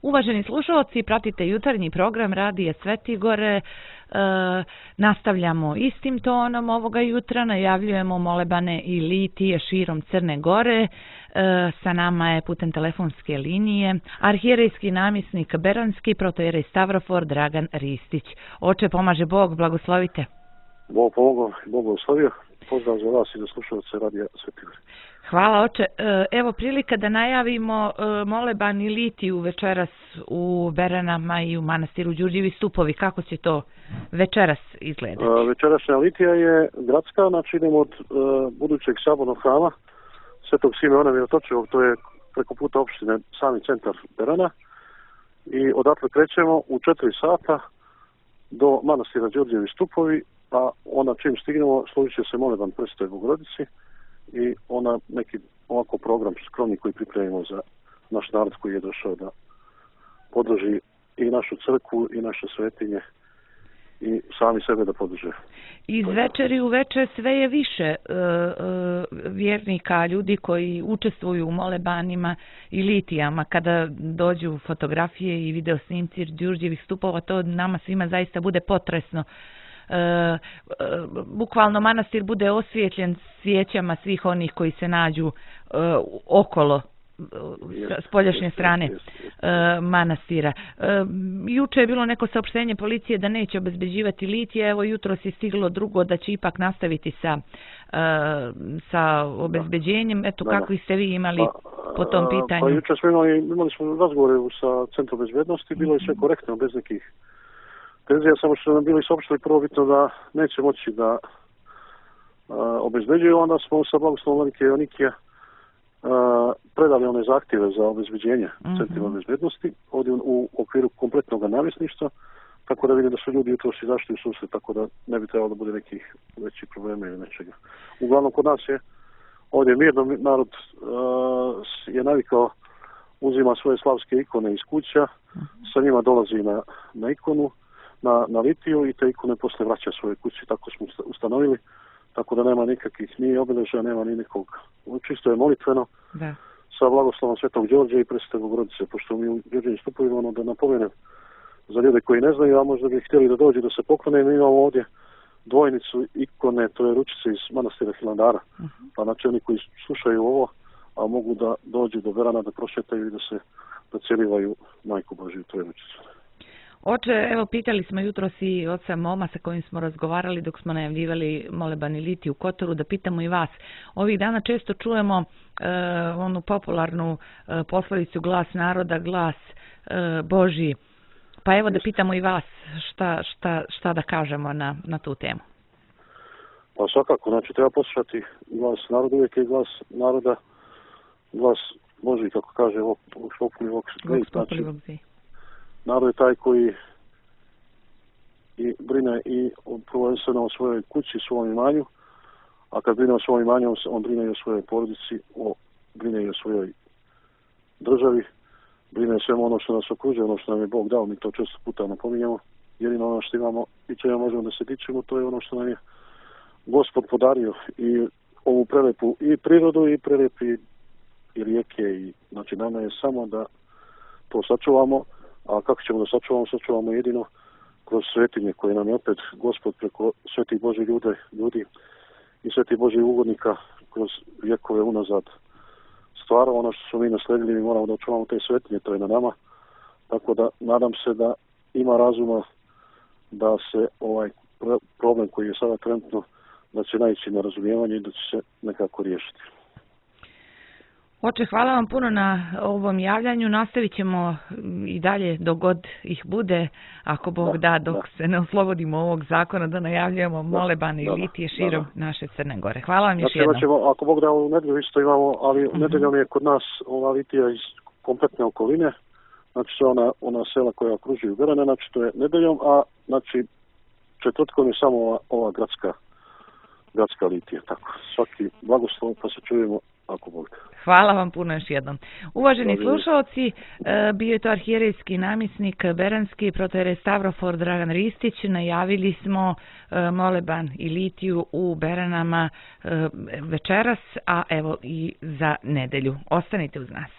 Uvaženi slušalci, pratite jutarnji program Radija Sveti Gore. Nastavljamo istim tonom ovoga jutra, najavljujemo molebane i litije širom Crne Gore. Sa nama je putem telefonske linije arhijerejski namjesnik Beranski, protojerej Stavrofor Dragan Ristić. Oče, pomaže Bog, blagoslovite. Bog pomogao, Bog blagoslovio. Pozdrav za vas i za slušalce Radija Sveti Gore. Hvala, oče. Evo prilika da najavimo moleban i litiju večeras u Beranama i u manastiru Đurđevi Stupovi. Kako će to večeras izgledati? Večerašnja litija je gradska, znači idemo od budućeg sabornog hrama Svetog Simeona Mirotočivog, to je preko puta opštine, sami centar Berana. I odatle krećemo u 4 sata do manastira Đurđevi Stupovi, a onda čim stignemo složit će se moleban Presvetoj Bogorodici i ona neki ovako program skromni koji pripremimo za naš narod koji je došao da podrži i našu crkvu i naše svetinje i sami sebe da podrže. Iz večeri u večer sve je više vjernika, ljudi koji učestvuju u molebanima i litijama. Kada dođu fotografije i video snimci Đurđevih stupova, to nama svima zaista bude potresno. Bukvalno manastir bude osvijetljen svijećama svih onih koji se nađu okolo s poljašnje strane manastira. Juče je bilo neko saopštenje policije da neće obezbeđivati litije, evo jutros je stiglo drugo da će ipak nastaviti sa obezbeđenjem. Eto, kakvi ste vi imali po tom pitanju? Pa juče smo imali smo razgovore sa Centrom bezbednosti, bilo je sve korektno, bez nekih tenzija, samo što nam bili saopštili prvobitno da neće moći da obezbeđuju, onda smo sa blagoslovom Vladike Joanikija predali one zahtjeve za obezbeđenje centrima bezbednosti ovdje u okviru kompletnog namjesništva, tako da vidim da su ljudi jutros izašli u susret, tako da ne bi trebalo da bude nekih većih problema ili nečega. Uglavnom kod nas je ovdje mirno, narod je navikao, uzima svoje slavske ikone iz kuća, sa njima dolazi na ikonu, na litiju i te ikone posle vraća svoje kući, tako smo ustanovili, tako da nema nikakvih ni obilježja, nema ni nekog, čisto je molitveno, da. Sa blagoslovom Svetog Đorđa i Presvete Bogorodice, pošto mi u Đurđevim Stupovima, da napomenem za ljude koji ne znaju, a možda bi htjeli da dođu da se poklone, mi imamo ovdje dvojnicu ikone, to je ručice iz manastira Hilandara, pa znači oni koji slušaju ovo, a mogu da dođu do Berana, da prošetaju i da se docelivaju Majku Božiju, to je ručicu. Oče, evo pitali smo jutros i oca Moma sa kojim smo razgovarali dok smo najavljivali moleban i litiju u Kotoru, da pitamo i vas. Ovih dana često čujemo onu popularnu poslovicu glas naroda, glas Božji. Pa evo da pitamo i vas šta da kažemo na tu temu. Pa svakako, znači treba poslušati glas naroda, uvijek je glas naroda, glas Božji, kako kaže Vox Populi Vox. Narod je taj koji i brine i prvenstveno o svojoj kući, svom imanju, a kad brine o svom imanju, on brine i o svojoj porodici, brine i o svojoj državi, brine o svemu ono što nas okružuje, ono što nam je Bog dao, mi to često puta napominjamo, jedino ono što imamo i čega možemo da se dičimo, to je ono što nam je Gospod podario i ovu prelepu i prirodu i prelepi i rijeke, i znači nama je samo da to sačuvamo. A kako ćemo da sačuvamo jedino kroz svetinje koje nam je opet Gospod preko svetih Božih ljudi i svetih Božih ugodnika kroz vjekove unazad stvarao. Ono što smo mi nasledili, mi moramo da očuvamo te svetinje, to je na nama. Tako da nadam se da ima razuma da se ovaj problem koji je sada trenutno, da će naići na razumijevanje i da će se nekako riješiti. Oče, hvala vam puno na ovom javljanju. Nastavit ćemo i dalje dok god ih bude, ako Bog da, dok se ne oslobodimo ovog zakona, da najavljujemo moleban i litije širom naše Crne Gore. Hvala vam još jednom. Ćemo, ako Bog da, u nedelju isto imamo, ali nedeljom je kod nas ova litija iz kompletne okoline, znači sve ona sela koja okružuju Berane, znači to je nedeljom, a znači četvrtkom je samo ova gradska litija. Tako, svaki blagoslov, pa se čujemo ako Bog da. Hvala vam puno još jednom. Uvaženi slušalci, bio je to arhijerejski namjesnik Beranski, protojerej Stavrofor Dragan Ristić. Najavili smo moleban i litiju u Beranama večeras, a evo i za nedelju. Ostanite uz nas.